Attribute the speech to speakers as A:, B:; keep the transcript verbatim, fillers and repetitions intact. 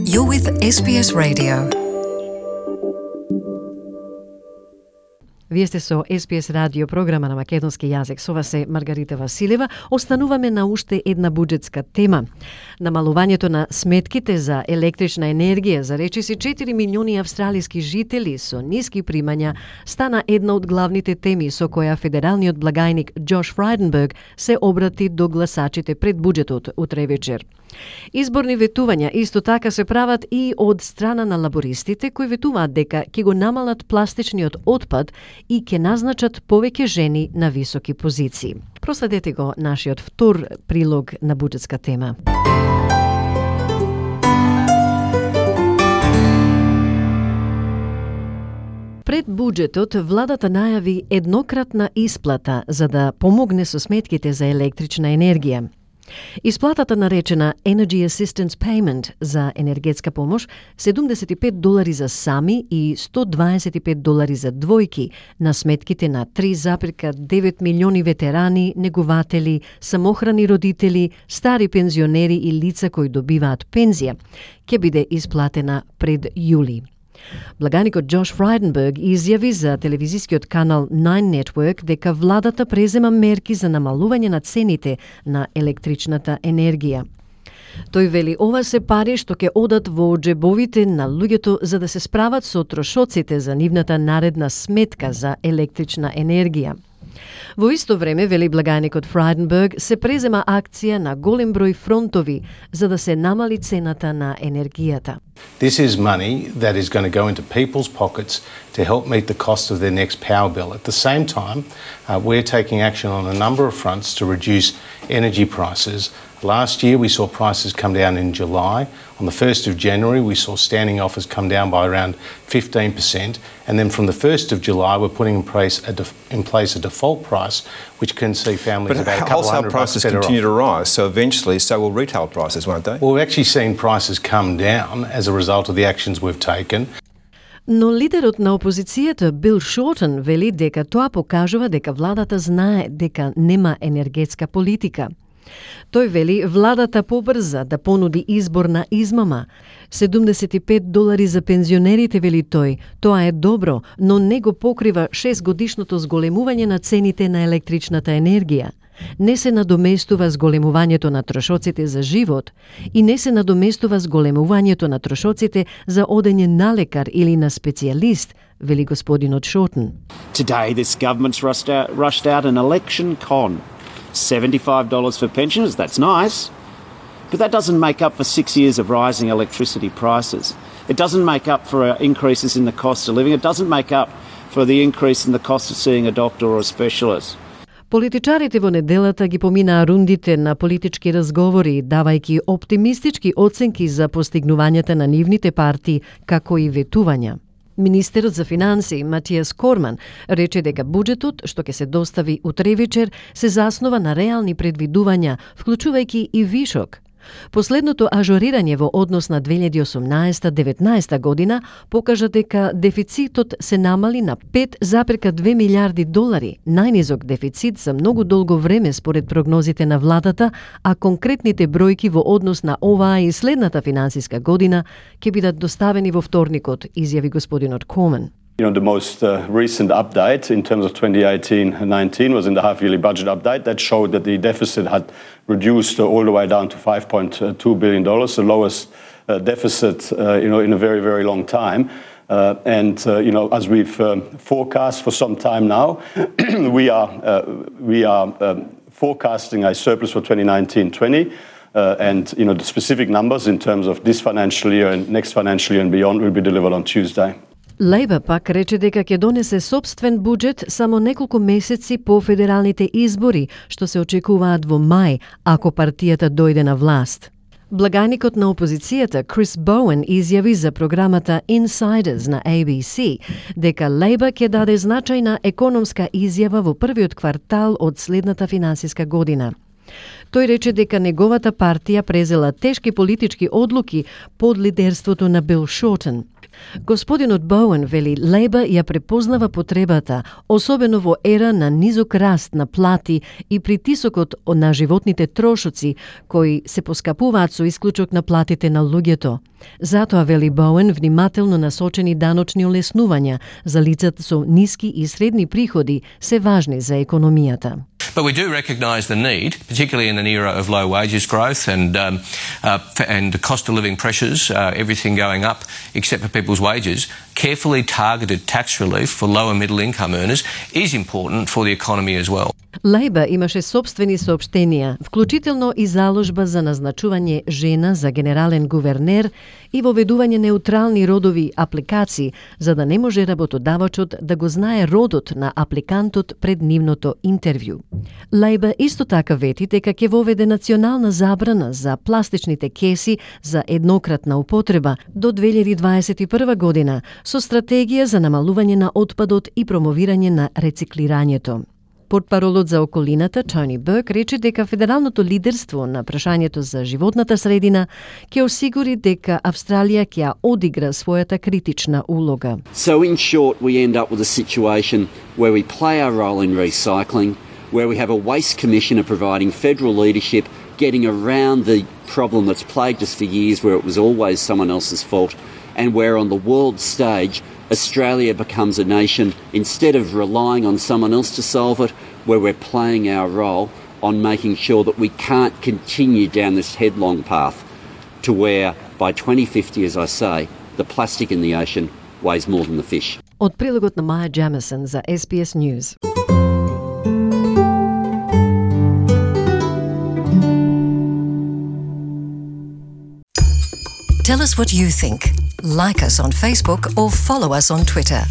A: You're with Ес Би Ес Radio. Вие сте со Ес Би Ес радио, програма на македонски јазик. Со вас е Маргарита Василева. Остануваме на уште една буџетска тема. Намалувањето на сметките за електрична енергија за речиси четири милиони австралиски жители со ниски примања стана една од главните теми со која федералниот благајник Џош Фрајденберг се обрати до гласачите пред буџетот утре вечер. Изборни ветувања исто така се прават и од страна на лабористите, кои ветуваат дека ќе го намалат пластичниот отпад и ќе назначат повеќе жени на високи позиции. Проследете го нашиот втор прилог на буџетска тема. Пред буџетот, владата најави еднократна исплата за да помогне со сметките за електрична енергија. Исплатата наречена Energy Assistance Payment за енергетска помош, седумдесет и пет долари за сами и сто дваесет и пет долари за двојки на сметките на три зарез девет милиони ветерани, негователи, самохрани родители, стари пензионери и лица кои добиваат пензија, ќе биде исплатена пред јули. Благаникот Џош Фрајденберг изјави за телевизискиот канал Nine Network дека владата презема мерки за намалување на цените на електричната енергија. Тој вели ова се пари што ќе одат во џебовите на луѓето за да се справат со трошоците за нивната наредна сметка за електрична енергија. Во исто време, вели благајникот Фрајденберг, се презема акција на голем број фронтови за да се намали цената на енергијата.
B: This is money that is going to go into people's pockets to help meet the cost of their next power bill. At the same time, uh, we're taking action on a number of fronts to reduce energy prices. Last year, we saw prices come down in July. On the first of January, we saw standing offers come down by around fifteen percent. And then from the first of July, we're putting in place a, def- in place a default price, which can see families
C: but
B: about a couple hundred bucks better off.
C: But wholesale prices continue to rise, so eventually so will retail prices, won't they?
B: Well, we've actually seen prices come down as a result of the actions we've taken.
A: Но лидерот на опозицијата Бил Шортен вели дека тоа покажува дека владата знае дека нема енергетска политика. Тој вели владата побрза да понуди избор на измама. седумдесет и пет долари за пензионерите, вели тој. Тоа е добро, но не го покрива шестгодишното зголемување на цените на електричната енергија. Не се надоместува зголемувањето на трошоците за живот и не се надоместува зголемувањето на трошоците за одење на лекар или на специјалист, вели господинот Шортен.
D: Today this government's rushed out, rushed out an election con. seventy-five dollars for pensioners, that's nice. But that doesn't make up for six years of rising electricity prices. It doesn't make up for uh, increases in the cost of living. It doesn't make up for the increase in the cost of seeing a doctor or a specialist.
A: Политичарите во неделата ги поминаа рундите на политички разговори, давајќи оптимистички оценки за постигнувањата на нивните партии, како и ветувања. Министерот за финансии Матијас Корман рече дека буџетот, што ќе се достави утре вечер, се заснова на реални предвидувања, вклучувајќи и вишок. Последното ажорирање во однос на две илјади и осумнаесета деветнаесета година покажа дека дефицитот се намали на пет зарез две милијарди долари, најнизок дефицит за многу долго време според прогнозите на владата, а конкретните бројки во однос на оваа и следната финансиска година ќе бидат доставени во вторникот, изјави господинот Корман.
E: You know, the most uh, recent update in terms of twenty eighteen nineteen was in the half-yearly budget update that showed that the deficit had reduced uh, all the way down to five point two billion dollars, the lowest uh, deficit uh, you know, in a very, very long time. Uh, and, uh, you know, as we've um, forecast for some time now, we are, uh, we are um, forecasting a surplus for twenty nineteen twenty. Uh, and, you know, the specific numbers in terms of this financial year and next financial year and beyond will be delivered on Tuesday.
A: Лејбър пак рече дека ќе донесе собствен буџет само неколку месеци по федералните избори, што се очекуваат во мај, ако партијата дојде на власт. Благајникот на опозицијата Крис Боуен изјави за програмата Insiders на A B C дека Лејбър ќе даде значајна економска изјава во првиот квартал од следната финансиска година. Тој рече дека неговата партија презела тешки политички одлуки под лидерството на Бил Шортен. Господинот Боуен вели Лејбър ја препознава потребата, особено во ера на низок раст на плати и притисокот на животните трошоци, кои се поскапуваат со исклучок на платите на луѓето. Затоа, вели Боуен, внимателно насочени даночни олеснувања за лицата со ниски и средни приходи се важни за економијата.
F: But we do recognise the need, particularly in an era of low wages growth and um, uh, and the cost of living pressures, uh, everything going up except for people's wages, carefully targeted tax relief for low and middle income earners is important for the economy as well.
A: Лейба имаше собствени соопштенија, вклучително и заложба за назначување жена за генерален гувернер и воведување неутрални родови апликации, за да не може работодавачот да го знае родот на апликантот пред нивното интервју. Лейба исто така вети дека ќе воведе национална забрана за пластичните кеси за еднократна употреба до две илјади дваесет и прва година со стратегија за намалување на отпадот и промовирање на рециклирањето. Портпаролот за околината Тони Берк рече дека федералното лидерство на прашањето за животната средина ќе осигури дека Австралија ќе ја одигра својата критична улога.
D: So in short, we end up with a situation where we play our role in recycling, where we have a waste commissioner providing federal leadership, getting around the problem that's plagued us for years, where it was always someone else's fault, and where on the world stage Australia becomes a nation, instead of relying on someone else to solve it, where we're playing our role on making sure that we can't continue down this headlong path to where by twenty fifty, as I say, the plastic in the ocean weighs more than the fish.
A: Од прилогот на Маја Джемисон за S B S News.
G: Tell us what you think. Like us on Facebook or follow us on Twitter.